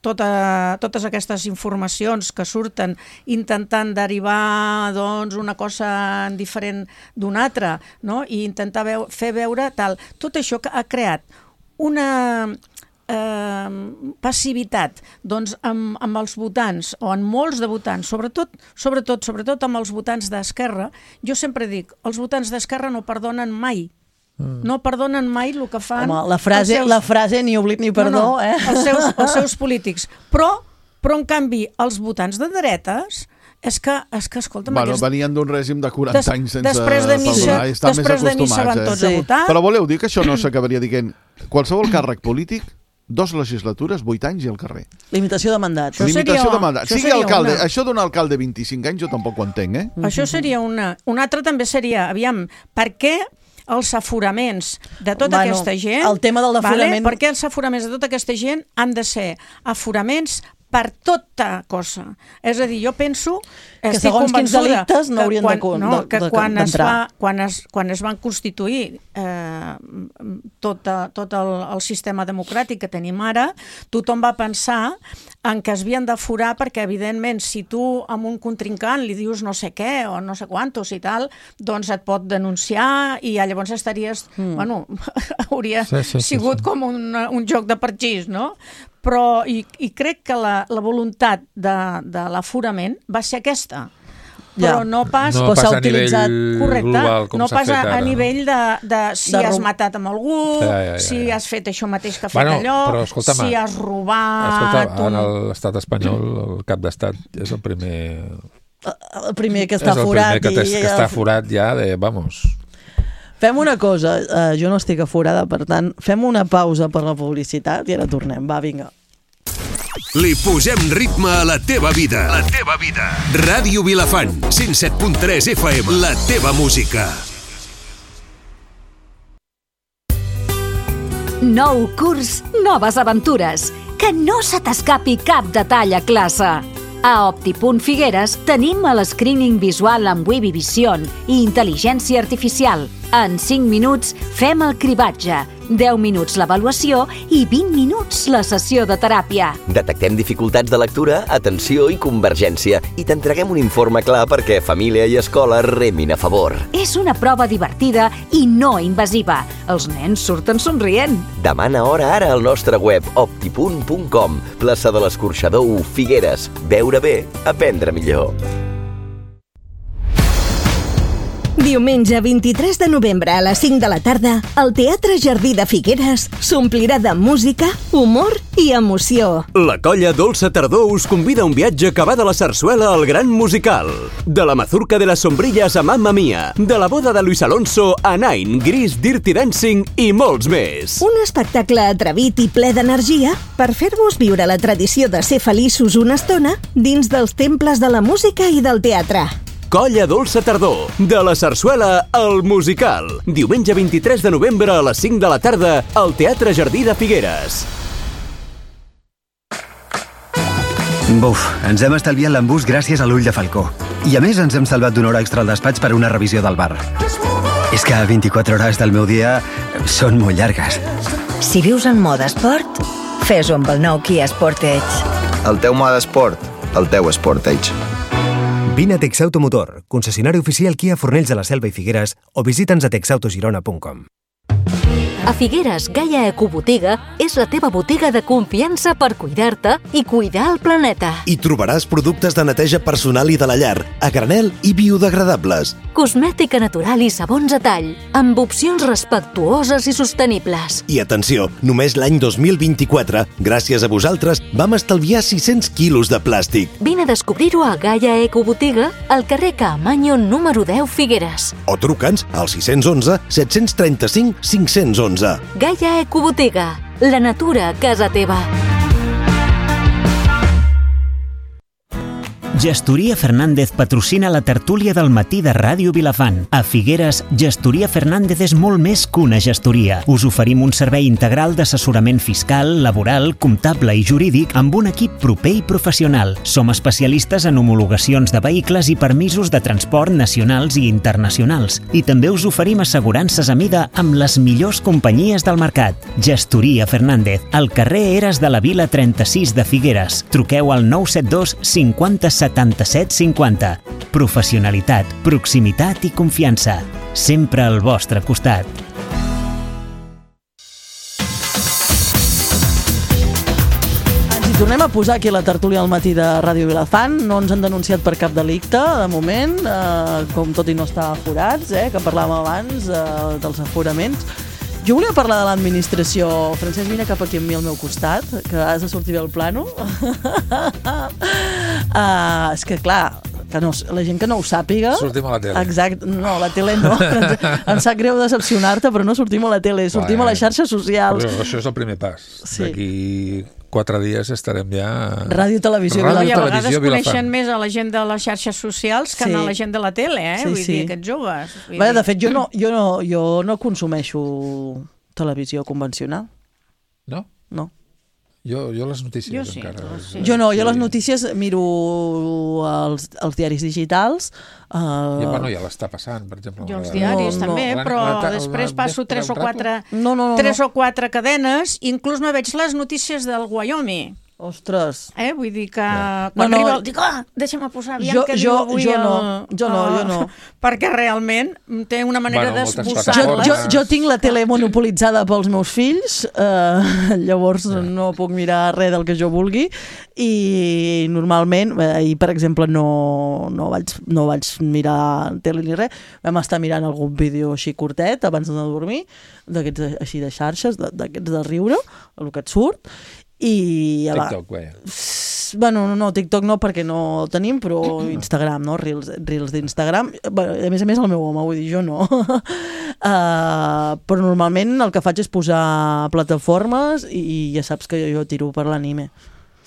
totes aquestes informacions que surten intentant derivar una cosa diferent d'una altra, no? I intentar fer veure tal. Tot això que ha creat una passivitat amb els votants, o en molts de votants, sobretot amb els votants d'Esquerra. Jo sempre dic, els votants d'Esquerra no perdonen mai. No perdonen mai el que fan... Home, la frase ni oblit ni perdó, els seus polítics. Però en canvi, els votants de dretes... És que escolta'm... Venien d'un règim de 40 anys sense perdonar i estan més acostumats. Després de missa van tots a votar. Però voleu dir que això no s'acabaria dient qualsevol càrrec polític, 2 legislatures, 8 anys i al carrer. Limitació de mandat. Això d'un alcalde 25 anys jo tampoc ho entenc, Això seria una. Una altra també seria, aviam, per què els aforaments de tota aquesta gent... El tema del aforament... Per què els aforaments de tota aquesta gent han de ser aforaments per tota cosa? És a dir, jo penso... Que segons quins delictes no haurien d'entrar. Quan es van constituir tot el sistema democràtic que tenim ara, tothom va pensar en que es havien d'aforar perquè, evidentment, si tu amb un contrincant li dius no sé què o no sé quantos i tal, doncs et pot denunciar i llavors estaries... Bueno, hauria sigut com un joc de parxís, no? Però i crec que la voluntat de l'aforament va ser aquesta. Però no pas a nivell global, com s'ha fet ara. A nivell de si has matat amb algú, si has fet això mateix que ha fet allò, si has robat... En l'estat espanyol, el cap d'estat és el primer... El primer que està forat. És el primer que està forat ja de... Vamos... Fem una cosa, jo no estic aforada, per tant, fem una pausa per la publicitat i ara tornem. Va, vinga. Li posem ritme a la teva vida. La teva vida. Ràdio Vilafant, 107.3 FM. La teva música. Nou curs, noves aventures. Que no se t'escapi cap detall a classe. A Opti.Figueres tenim el screening visual amb Webby Vision i intel·ligència artificial. En 5 minuts fem el cribatge, 10 minuts l'avaluació i 20 minuts la sessió de teràpia. Detectem dificultats de lectura, atenció i convergència i t'entreguem un informe clar perquè família i escola remin a favor. És una prova divertida i no invasiva. Els nens surten somrient. Demana hora ara al nostre web opti.com. Plaça de l'Escorxador 1, Figueres. Veure bé, aprendre millor. Diumenge 23 de novembre a les 5 de la tarda, el Teatre Jardí de Figueres s'omplirà de música, humor i emoció. La colla Dolça Tardor us convida a un viatge que va de la sarsuela al gran musical. De la mazurca de las sombrillas a Mamma Mia, de la boda de Luis Alonso a Nine, Gris, Dirty Dancing i molts més. Un espectacle atrevit i ple d'energia per fer-vos viure la tradició de ser feliços una estona dins dels temples de la música i del teatre. Colla Dolça Tardor, de la sarsuela al musical. Diumenge 23 de novembre a les 5 de la tarda al Teatre Jardí de Figueres. Buf, ens hem estalviat l'embús gràcies a l'ull de falcó. I a més ens hem salvat d'una hora extra al despatx per una revisió del bar. És que 24 hores del meu dia són molt llargues. Si vius en mode esport, fes-ho amb el nou Kia Sportage. El teu mode esport, el teu Sportage. Vine a Texautomotor, concessionari oficial Kia Fornells de la Selva i Figueres, o visita'ns a texautogirona.com. A Figueres, Gaia Ecobotiga és la teva botiga de confiança per cuidar-te i cuidar el planeta. Hi trobaràs productes de neteja personal i de la llar, a granel i biodegradables. Cosmètica natural i sabons a tall, amb opcions respectuoses i sostenibles. I atenció, només l'any 2024, gràcies a vosaltres, vam estalviar 600 quilos de plàstic. Vine a descobrir-ho a Gaia Ecobotiga, al carrer Caamaño número 10 Figueres. O truca'ns al 611 735 511. Gaia Ecobotiga, la natura a casa teva. Gestoria Fernández patrocina la tertúlia del matí de Ràdio Vilafant. A Figueres, Gestoria Fernández és molt més que una gestoria. Us oferim un servei integral d'assessorament fiscal, laboral, comptable i jurídic amb un equip proper i professional. Som especialistes en homologacions de vehicles i permisos de transport nacionals i internacionals. I també us oferim assegurances a mida amb les millors companyies del mercat. Gestoria Fernández, al carrer Eres de la Vila 36 de Figueres. Truqueu al 972 50 77 50. Professionalitat, proximitat i confiança. Sempre al vostre costat. Ens hi tornem a posar aquí a la tertúlia al matí de Ràdio Vilafant. No ens han denunciat per cap delicte, de moment, com tot i no estar aforats, que parlàvem abans dels aforaments. Jo volia parlar de l'administració. Francesc, vine cap aquí amb mi al meu costat, que has de sortir bé el plano. És que, clar, que no, la gent que no ho sàpiga... Sortim a la tele. Exacte. No, a la tele no. Em sap greu decepcionar-te, però no sortim a la tele, sortim a les xarxes socials. Però això és el primer pas. Sí. D'aquí 4 dies estarem ja... Ràdio Televisió Vilafant. I a Vilafant. vegades coneixen més a la gent de les xarxes socials que a la gent de la tele, Vull dir, aquests joves. De fet, jo no consumeixo televisió convencional. No? No. Jo les notícies encara... Jo les notícies miro els diaris digitals. I ja l'està passant, per exemple. Jo els diaris també, però després passo 3 o 4 cadenes, inclús me veig les notícies del Wyoming. Ostres. Vull dir que quan arriba dic, deixa'm posar aviam què diu avui Jo no. Perquè realment té una manera d'esbossar-les. Jo tinc la tele monopolitzada pels meus fills, llavors no puc mirar res del que jo vulgui, i normalment, ahir per exemple no vaig mirar tele ni res, vam estar mirant algun vídeo així curtet abans de dormir, d'aquests així de xarxes, d'aquests de riure, el que et surt, i TikTok, bueno, no, TikTok no, perquè no el tenim, però Instagram, no? Reels d'Instagram. A més el meu home, vull dir, jo no. Però normalment el que faig és posar plataformes i ja saps que jo tiro per l'anime.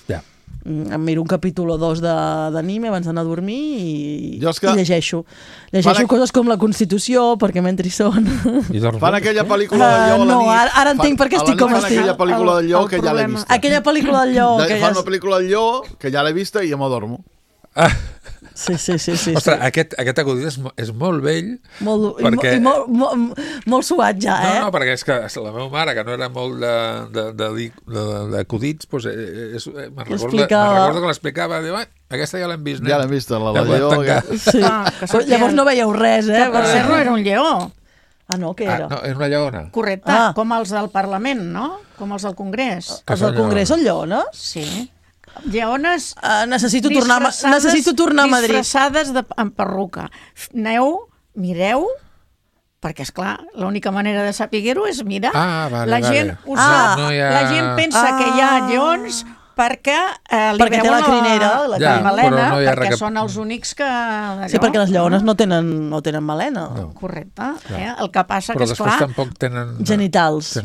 Ja. em miro un capítol o dos d'anime abans d'anar a dormir i llegeixo. Llegeixo coses com la Constitució, perquè mentre hi són. Fan aquella pel·lícula del lleó a la nit. No, ara entenc per què estic com estic. Fan aquella pel·lícula del lleó que ja l'he vista. Aquella pel·lícula del lleó. Fan una pel·lícula del lleó que ja l'he vista i ja m'adormo. Sí. Ostres, aquest acudit és molt vell. I molt suat ja, eh? No, perquè és que la meva mare, que no era molt d'acudits, me'n recordo que l'explicava, diu, aquesta ja l'hem vist. Ja l'hem vist, la del lleó. Llavors no veieu res, eh? Per ser no era un lleó. Ah, no, què era? No, era una lleona. Correcte, com els del Parlament, no? Com els del Congrés. Els del Congrés són lleones? Sí. Lleones necessito tornar a Madrid. Disfressades amb perruca. Aneu, mireu, perquè, esclar, l'única manera de saber-ho és mirar. La gent pensa que hi ha lleons perquè li veuen la crinera, la melena, perquè són els únics que... Sí, perquè les lleones no tenen melena. Correcte. El que passa que, esclar... Però després tampoc tenen... Genitals.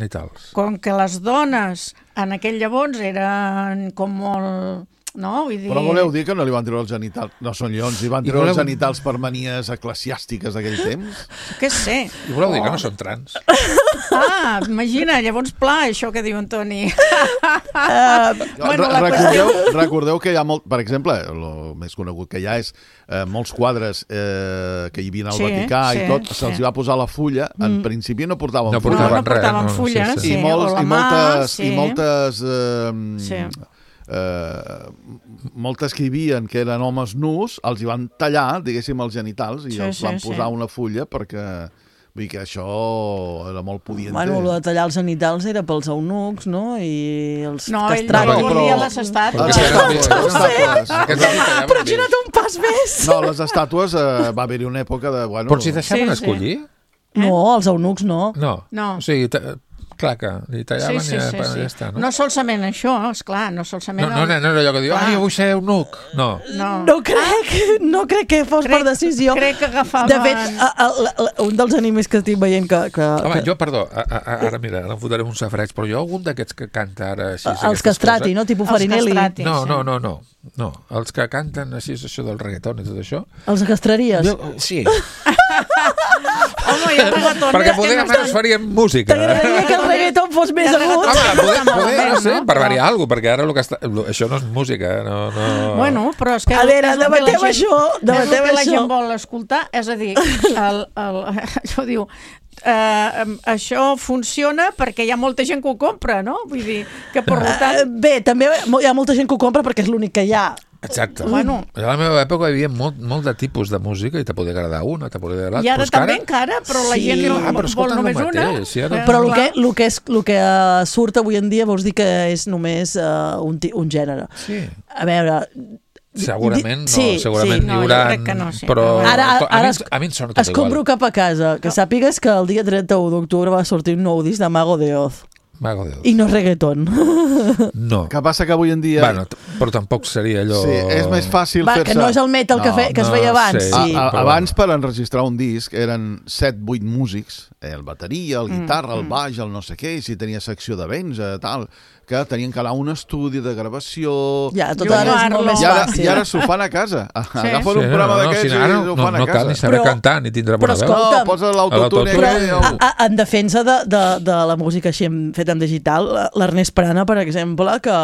Com que les dones en aquell llavors eren com molt... No? Vull dir... Però voleu dir que no li van treure els genitals? No són lleons, li van treure els genitals per manies eclesiàstiques d'aquell temps? Què sé? I voleu dir que no són trans? Imagina, llavors pla, això que diu en Toni. Recordeu que hi ha molt... Per exemple, el més conegut que hi ha és molts quadres que hi havia al Vaticà i tot, se'ls va posar la fulla, en principi no portaven fulla. No portaven fulles, i moltes... moltes que hi havia que eren homes nus, els hi van tallar, diguéssim, els genitals i els van posar una fulla perquè... Vull dir que això era molt pudiente. Bueno, el de tallar els genitals era pels eunucs, no? I els castrats. No, ell volia les estàtues. Però has anat un pas més. No, les estàtues va haver-hi una època de... Però si deixaven escollir? No, els eunucs no. No. O sigui... Clar que li tallaven i ja està, no? No solament això, esclar, no solament... No era allò que diu, jo vull ser eunuc. No crec que fos per decisió. Crec que agafaven... De fet, un dels animes que estic veient que... Home, jo, perdó, ara mira, ara em fotré un safreig, però jo algun d'aquests que canta ara així... Els castrati, no? Tipus Farinelli. No, els que canten així, això del reggaeton i tot això... Els castraries? Sí. Home, hi ha reggaetones... Perquè poder almenys farien música. T'agradaria que el reggaeton fos més agut? Home, poder, no sé, per variar alguna cosa, perquè ara això no és música, no... Bueno, però és que... A veure, debatem això. És el que la gent vol escoltar, és a dir, això diu... això funciona perquè hi ha molta gent que ho compra, no? Vull dir que per tant... Bé, també hi ha molta gent que ho compra perquè és l'únic que hi ha. Exacte. A la meva època hi havia molt de tipus de música i te podia agradar una, te podia agradar l'altra. I ara també encara, però la gent vol només una. Però el que surt avui en dia vols dir que és només un gènere. Sí. A veure... Segurament n'hi haurà, però a mi em sona tot igual. Escombro cap a casa, que sàpigues que el dia 31 d'octubre va sortir un nou disc de Mago de Oz. I no és reggaeton. No. Que passa que avui en dia... Bueno, però tampoc seria allò... Sí, és més fàcil fer-se... Que no és el metal que es feia abans. Sí. Abans, per enregistrar un disc, eren 7-8 músics, el bateria, el guitarra, el baix, el no sé què, i si tenia secció de vents, tal... que tenien que anar a un estudi de gravació... Ja, tot ara és molt més fàcil. I ara s'ho fan a casa. Agafen un programa d'aquests i ho fan a casa. No cal ni saber cantar, ni tindrà bona veu. No, posa l'autotune. En defensa de la música així feta en digital, l'Ernest Prana, per exemple, que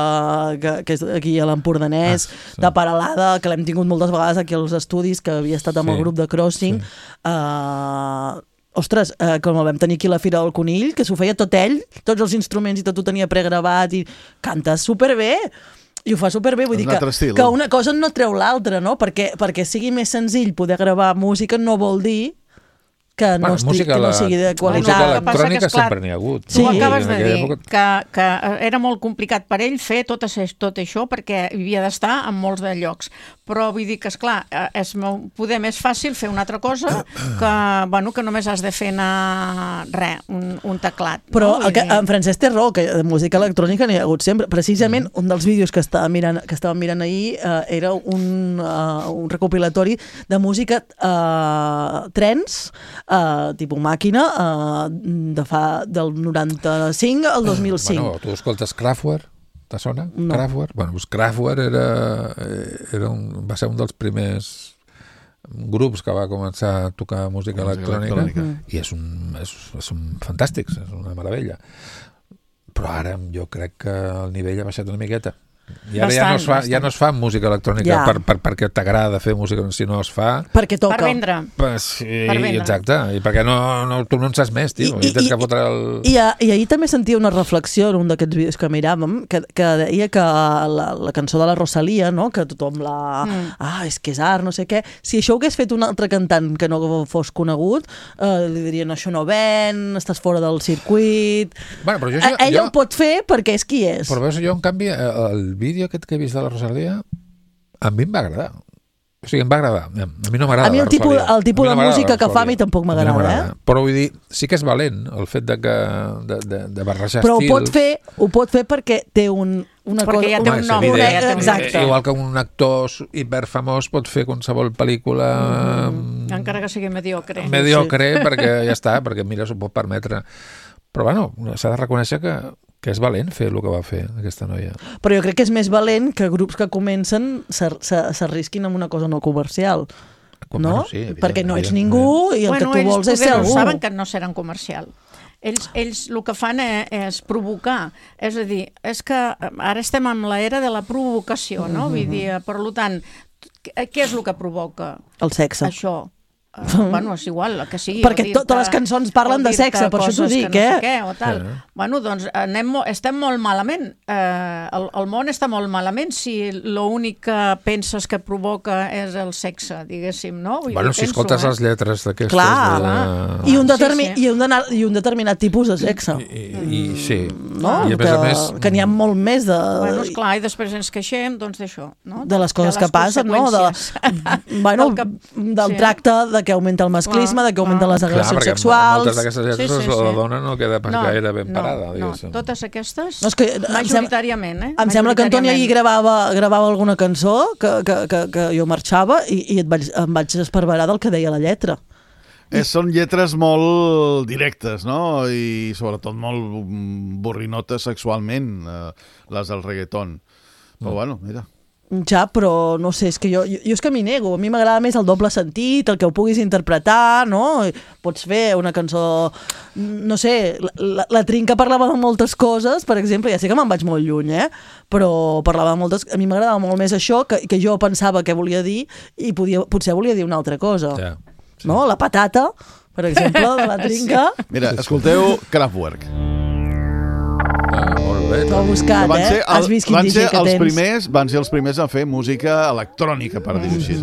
és aquí a l'Empordanès, de Paralada, que l'hem tingut moltes vegades aquí als estudis, que havia estat amb el grup de Crossing... Ostres, com el vam tenir aquí a la Fira del Conill, que s'ho feia tot ell, tots els instruments i tot ho tenia pregravat i canta superbé. I ho fa superbé, vull dir que una cosa no treu l'altra, no? Perquè sigui més senzill poder gravar música no vol dir que no sigui de qualitat. Música electrònica sempre n'hi ha hagut. Tu acabes de dir que era molt complicat per ell fer tot això perquè havia d'estar en molts de llocs. Però vull dir que, esclar, és poder més fàcil fer una altra cosa que només has de fer anar un teclat. Però en Francesc té raó, que de música electrònica n'hi ha hagut sempre. Precisament un dels vídeos que estàvem mirant ahir era un recopilatori de música trens, tipus màquina, del 95 al 2005. Bueno, tu escoltes Kraftwerk? Te sona? No. Kraftwerk? Bueno, doncs Kraftwerk va ser un dels primers grups que va començar a tocar música electrònica i són fantàstics, és una meravella. Però ara jo crec que el nivell ha baixat una miqueta. I ara ja no es fa música electrònica perquè t'agrada fer música, sinó es fa... Perquè toca. Per vendre. Sí, exacte. I perquè tu no en saps més, tio. I tens que fotre el... I ahir també sentia una reflexió en un d'aquests vídeos que miràvem, que deia que la cançó de la Rosalía, no? Que tothom és que és art, no sé què. Si això ho hagués fet un altre cantant que no fos conegut, li dirien, això no ven, estàs fora del circuit... Bueno, però ell ho pot fer perquè és qui és. Però veus, jo, en canvi, el vídeo aquest que he vist de la Rosalía a mi em va agradar. O sigui, em va agradar. A mi no m'agrada la Rosalía. El tipus de música que fa a mi tampoc m'agrada, Però vull dir, sí que és valent el fet de barrejar però estils. Però ho pot fer perquè té una cosa... Perquè ja té un nom. Exacte. Igual que un actor hiperfamós pot fer qualsevol pel·lícula... Encara que sigui mediocre. Mediocre, perquè ja està, perquè mira, s'ho pot permetre. Però bueno, s'ha de reconèixer que és valent fer el que va fer aquesta noia. Però jo crec que és més valent que grups que comencen s'arrisquin amb una cosa no comercial. No? Sí, perquè no ets ningú i el que tu vols és ser algú. Ells saben que no seran comercial. Ells el que fan és provocar. És a dir, és que ara estem en l'era de la provocació, no? Vull dir, per tant, què és el que provoca? El sexe. Això. Bueno, és igual, que sigui. Perquè totes les cançons parlen de sexe, per això t'ho dic, no sé què, o tal. Bueno, doncs estem molt malament. El món està molt malament si l'únic que penses que provoca és el sexe, diguéssim, no? Bueno, si escoltes les lletres d'aquestes... Clar, i un determinat tipus de sexe. I sí. No? Que n'hi ha molt més de... Bueno, esclar, i després ens queixem, doncs, d'això, no? De les coses que passen, no? Del tracte de que augmenta el masclisme, de que augmenten les agressions sexuals... Moltes d'aquestes lletres la dona no queda pas gaire ben parada. No, totes aquestes, majoritàriament. Em sembla que Antoni ahir gravava alguna cançó que jo marxava i em vaig esparverar del que deia la lletra. Són lletres molt directes, no? I sobretot molt borrinotes sexualment, les del reggaeton. Però bueno, mira... Ja, però no sé, és que jo és que m'hi nego. A mi m'agrada més el doble sentit, el que ho puguis interpretar, no? Pots fer una cançó... No sé, la Trinca parlava de moltes coses, per exemple, ja sé que me'n vaig molt lluny, però parlava de moltes... A mi m'agradava molt més això, que jo pensava què volia dir, i potser volia dir una altra cosa. Ja. Sí. No? La patata, per exemple, de la Trinca. Sí. Mira, escolteu Kraftwerk. Molt bé. T'ho he buscat, Has vist quin DJ que tens. Van ser els primers a fer música electrònica, per dir-ho així,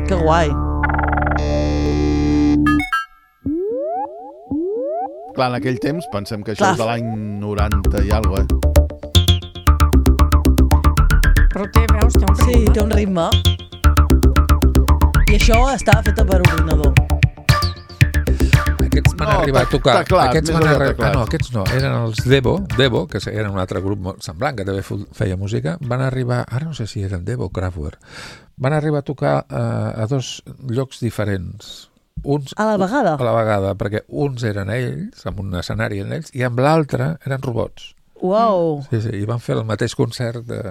Que guai. Clar, en aquell temps, pensem que això és de l'any 90 i alguna cosa, Però veus, té un ritme. Sí, té un ritme. I això estava fet per ordinador. Aquests van arribar a tocar... Aquests no, eren els Devo, que eren un altre grup molt semblant, que també feia música, van arribar, ara no sé si eren Devo o Kraftwerk, van arribar a tocar a dos llocs diferents. A la vegada? A la vegada, perquè uns eren ells, amb un escenari en ells, i amb l'altre eren robots. Uau! Sí, i van fer el mateix concert de...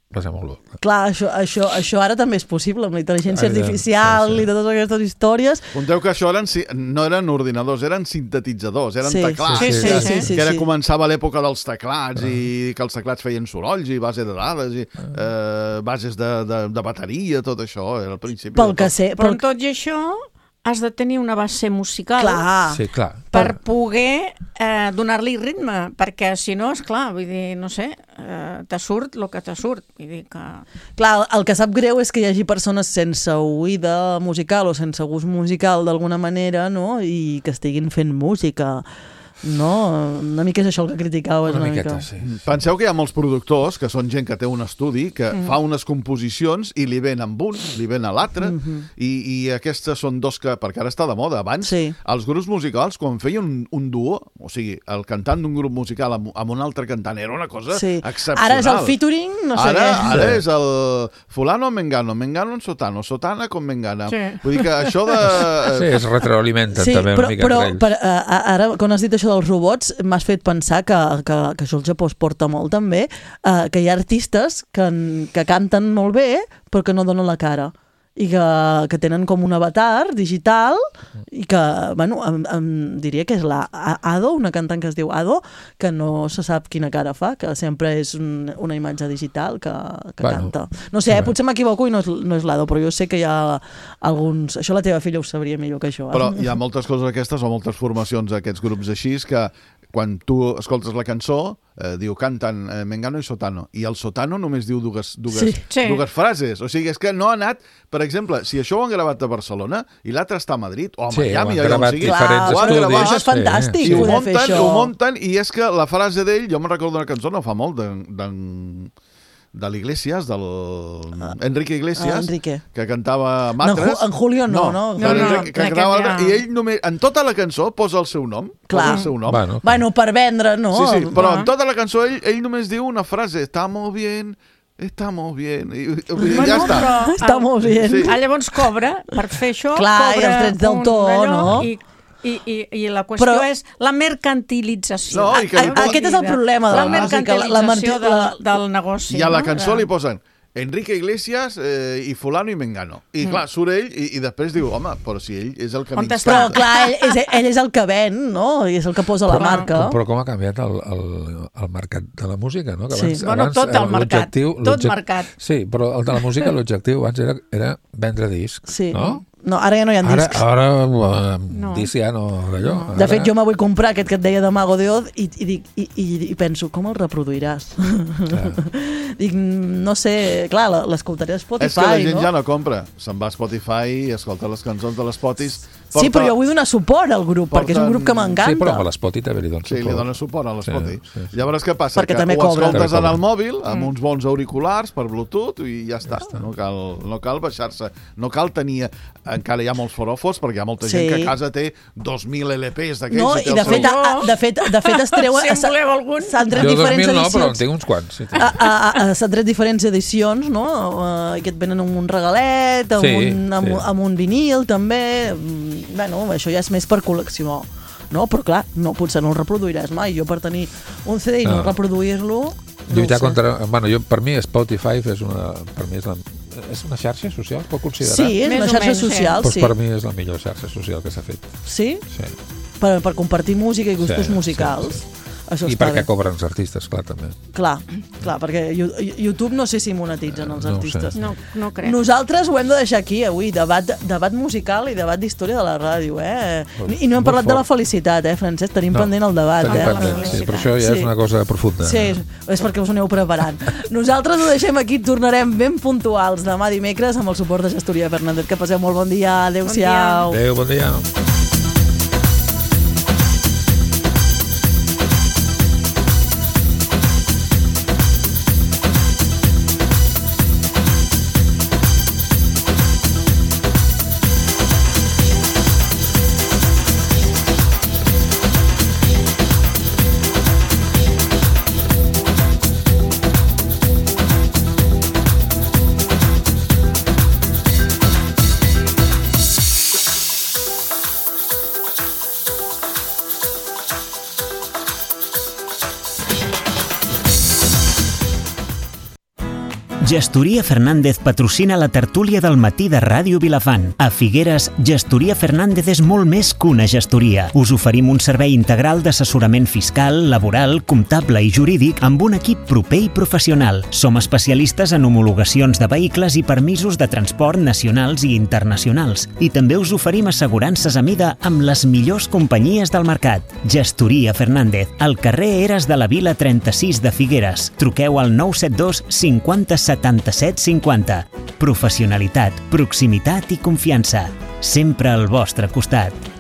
Va ser molt bo. Clar, això ara també és possible, amb la intel·ligència artificial i totes aquestes històries. Conteu que això no eren ordinadors, eren sintetitzadors, eren teclats. Que era començava l'època dels teclats i que els teclats feien sorolls i bases de dades i bases de bateria, tot això, era al principi. Però tot i això has de tenir una base musical per poder donar-li ritme, perquè si no, és clar, vull dir, no sé, te surt el que te surt. Vull dir que... Clar, el que sap greu és que hi hagi persones sense oïda musical o sense gust musical d'alguna manera, no?, i que estiguin fent música. No, una mica és això el que criticaves una mica. Sí. Penseu que hi ha molts productors que són gent que té un estudi, que fa unes composicions i li ven amb un, li ven a l'altre, i aquestes són dos que, perquè ara està de moda, abans els grups musicals, quan feien un duo, o sigui, el cantant d'un grup musical amb un altre cantant, era una cosa excepcional. Ara és el featuring, no sé què. Ara és el fulano mengano en sotano, sotana con mengana. Vull dir que això de... Sí, es retroalimenten també una mica entre ells. Però ara, quan has dit això això dels robots m'has fet pensar que això al Japó es porta molt també, que hi ha artistes que canten molt bé però que no donen la cara i que tenen com un avatar digital i que, bueno, em diria que és la Ado, una cantant que es diu Ado, que no se sap quina cara fa, que sempre és una imatge digital que canta. No sé, potser m'equivoco i no és l'Ado, però jo sé que hi ha alguns... Això la teva filla ho sabria millor que això. Però hi ha moltes coses aquestes o moltes formacions d'aquests grups així que quan tu escoltes la cançó diu canten Mengano i Sotano i el Sotano només diu dues frases, o sigui, és que no ha anat, per exemple, si això ho han gravat a Barcelona i l'altre està a Madrid o a Miami, ho han gravat diferents estudis. Això és fantàstic, i ho munten i és que la frase d'ell, jo me'n recordo una cançó no fa molt de l'Iglesias, del Enrique Iglesias, que cantava Matres. En Julio no. Que cantava, i ell només, en tota la cançó posa el seu nom. Clar. El seu nom. Bueno, per vendre, no? Sí, però en tota la cançó ell només diu una frase, estamos bien, i ja està. Està molt bé. Llavors cobra, per fer això, clar, i els drets d'autor, no? I la qüestió és la mercantilització. No, aquest és el problema de la mercantilització del negoci. I a la cançó li posen Enrique Iglesias i fulano i mengano. I clar, surt ell i després diu, home, però si ell és el que m'instanta. Però clar, ell és el que ven, no? I és el que posa la marca. Però com ha canviat el mercat de la música, no? Sí, bueno, tot el mercat, tot mercat. Sí, però el de la música, l'objectiu abans era vendre discs, no? No, ara ja no hi ha discs. Ara disc ja no d'allò. De fet, jo me vull comprar aquest que et deia de Mago de Oz i penso, com el reproduiràs? Dic, no sé, clar, l'escoltaré a Spotify, no? És que la gent ja no compra. Se'n va a Spotify i escolta les cançons de l'Spotify. Sí, però jo vull donar suport al grup, perquè és un grup que m'encanta. Sí, però a l'Spotify també li dona suport. Sí, li dona suport a l'Spotify. Llavors, què passa? Que ho escoltes en el mòbil, amb uns bons auriculars per Bluetooth i ja està. No cal baixar-se. No cal tenir... Encara hi ha molts foròfors, perquè hi ha molta gent que a casa té 2.000 LPs d'aquells. No, i de fet es treuen... Si en voleu algun. S'han tret diferents edicions. Jo 2000 no, però en tinc uns quants. S'han tret diferents edicions, no? Que et venen amb un regalet, amb un vinil, també. Bueno, això ja és més per col·leccionar. No, però clar, potser no el reproduiràs mai. Jo per tenir un CD i no reproduir-lo... Lluitar contra... Bueno, per mi Spotify és una xarxa social, pot considerar? Sí, és una xarxa social, sí. Doncs per mi és la millor xarxa social que s'ha fet. Sí? Sí. Per compartir música i gustos musicals. I perquè cobren els artistes, clar, també. Clar, perquè YouTube no sé si monetitzen els artistes. No crec. Nosaltres ho hem de deixar aquí avui, debat musical i debat d'història de la ràdio, I no hem parlat de la felicitat, Francesc? Tenim pendent el debat, Sí, però això ja és una cosa profunda. Sí, és perquè us aneu preparant. Nosaltres ho deixem aquí, tornarem ben puntuals demà dimecres amb el suport de Gestoria Fernández. Que passeu molt bon dia, adéu-siau. Adéu, bon dia. Gestoria Fernández patrocina la tertúlia del matí de Ràdio Vilafant. A Figueres, Gestoria Fernández és molt més que una gestoria. Us oferim un servei integral d'assessorament fiscal, laboral, comptable i jurídic amb un equip proper i professional. Som especialistes en homologacions de vehicles i permisos de transport nacionals i internacionals. I també us oferim assegurances a mida amb les millors companyies del mercat. Gestoria Fernández, al carrer Eres de la Vila 36 de Figueres. Truqueu al 972 50 77 50. Professionalitat, proximitat i confiança. Sempre al vostre costat.